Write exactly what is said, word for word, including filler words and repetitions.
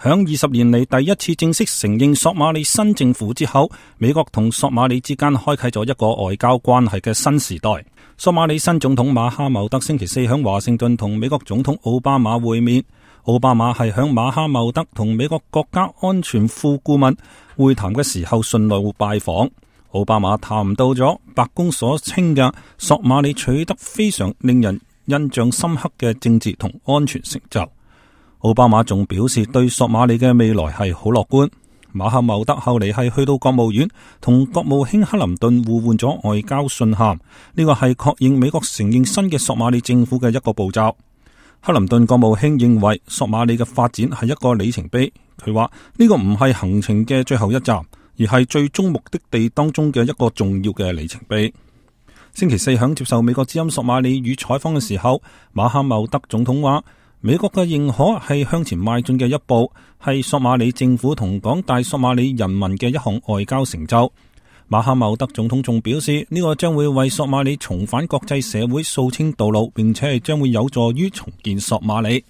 響二十年嚟第一次正式承認索馬里新政府之後，美國同索馬里之間開啟咗一個外交關係嘅新時代。索馬里新總統馬哈茂德星期四響華盛頓同美國總統奧巴馬會面。奧巴馬係響馬哈茂德同美國國家安全副顧問會談嘅時候順路拜訪。奧巴馬談到咗白宮所稱嘅索馬里取得非常令人印象深刻嘅政治同安全成就。奧巴馬仲表示對索馬里嘅未來係好樂觀。馬哈茂德後嚟係去到國務院同國務卿克林頓互換咗外交信函，呢個係確認美國承認新嘅索馬里政府嘅一個步驟。克林頓國務卿認為索馬里嘅發展係一個里程碑，佢話呢個唔係行程嘅最後一站，而係最終目的地當中嘅一個重要嘅里程碑。星期四響接受美國之音索馬里語採訪嘅時候，馬哈茂德總統話美國嘅認可係向前邁進嘅一步，係索馬里政府同廣大索馬里人民嘅一項外交成就。馬哈茂德總統仲表示，呢個將會為索馬里重返國際社會掃清道路，並且係將會有助於重建索馬里。